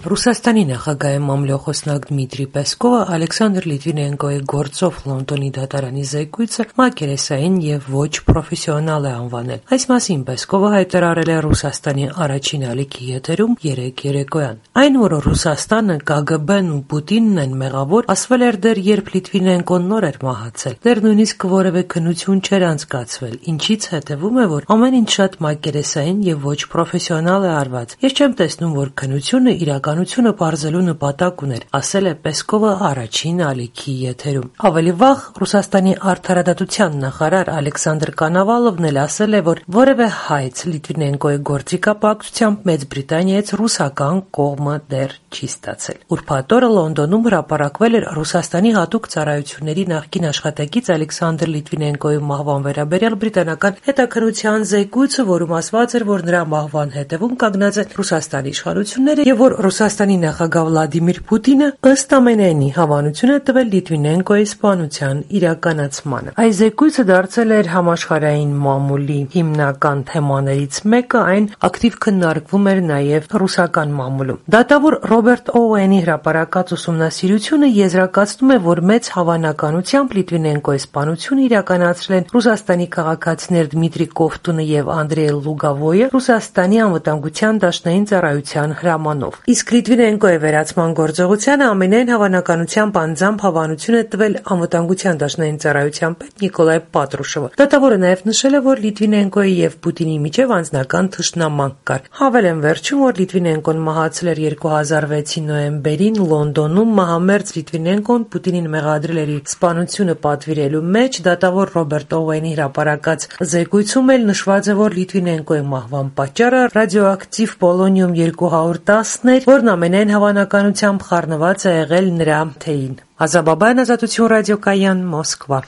Ռուսաստանի նախագահի մամլոյխոսնակ Դմիտրի Պեսկովը Ալեքսանդր Լիտվինենկոյի գործով Լոնդոնի դատարանի զեկույցը մակերեսային եւ ոչ պրոֆեսիոնալ է անվանել։ Այս մասին Պեսկովը հայտարարել է Ռուսաստանի առաջին ալիքի եթերում երեկոյան։ Այն, որ Ռուսաստանը, ԿԳԲ-ն ու Պուտինն են մեղավոր, ասվել էր դեռ երբ Լիտվինենկոն նոր էր մահացել։ Դեռ նույնիսկ որևէ քննություն չէր անցկացվել, ինչից հետևում է, որ ամեն ինչ շատ մակերեսային եւ ոչ պրոֆեսիոնալ է արված։ Ես չեմ տեսնում, որ քննությունը իրականությունը բարձելու նպատակ ուներ, ասել է Պեսկովը առաջին ալիքի եթերում։ Ավելի վաղ Ռուսաստանի արդարադատության նախարար Ալեքսանդր Կանավալովն էլ ասել է, որ որևէ հայց Լիտվինենկոյի գործիքապակցությամբ Մեծ Բրիտանիայից ռուսական կողմը դեռ չի ստացել։ Ուրբաթ օրը Լոնդոնում հրապարակվել էր Ռուսաստանի հատուկ ծառայությունների նախկին աշխատակից Ալեքսանդր Լիտվինենկոյի մահվան վերաբերյալ բրիտանական հետաքննության զեկույցը, որում ասված էր, որ նրա մահվան հետևում կանգնած է Ռուսաստանի իշխանությունները եւ որ Ռուսաստանի նախագահ Վլադիմիր Պուտինը ըստ ամենայնի հավանություն է տվել Լիտվինենկոյի սպանության իրականացմանը։ Այս զեկույցը դարձել էր համաշխարհային մամուլի հիմնական թեմաներից մեկը, այն ակտիվ քննարկվում էր նաև ռուսական մամուլում։ Դատավոր Ռոբերտ Օուենի հրապարակած ուսումնասիրությունը եզրակացնում է, որ մեծ հավանականությամբ Լիտվինենկոյի սպանությունը իրականացրել են Ռուսաստանի քաղաքացիներ Դմիտրի Կովտունը եւ Անդրեյ Լուգավոյը Ռուսաստանի անվտանգության դաշնային ծառայության հրամանով։ Իսկ Լիտվինենկոյի վերացման գործողությանը ամենայն հավանականությամբ անձամբ հավանություն է տվել անվտանգության դաշնային ծառայության պետ Նիկոլայ Պատրուշովը։ Դատավորը նաև նշել է, որ Լիտվինենկոյի եւ Պուտինի միջև անձնական թշնամանք կար։ Հավելեն վերջում, որ Լիտվինենկոն մահացել էր 2006-ի նոյեմբերին Լոնդոնում։ Մահամերձ Լիտվինենկոն Պուտինին մեղադրել էր իր սպանությունը պատվիրելու մեջ։ Դատավոր Ռոբերտ Օուենի հրապարակած զեկույցում էլ նշված է, որ Լիտվինենկոյի մահվան պատճառը ռադիոակտիվ պոլոնիում 210-ն էր, որն ամենայն հավանականությամբ խառնված է եղել նրա թեյին։ Ազատություն ռադիոկայան, Մոսկվա։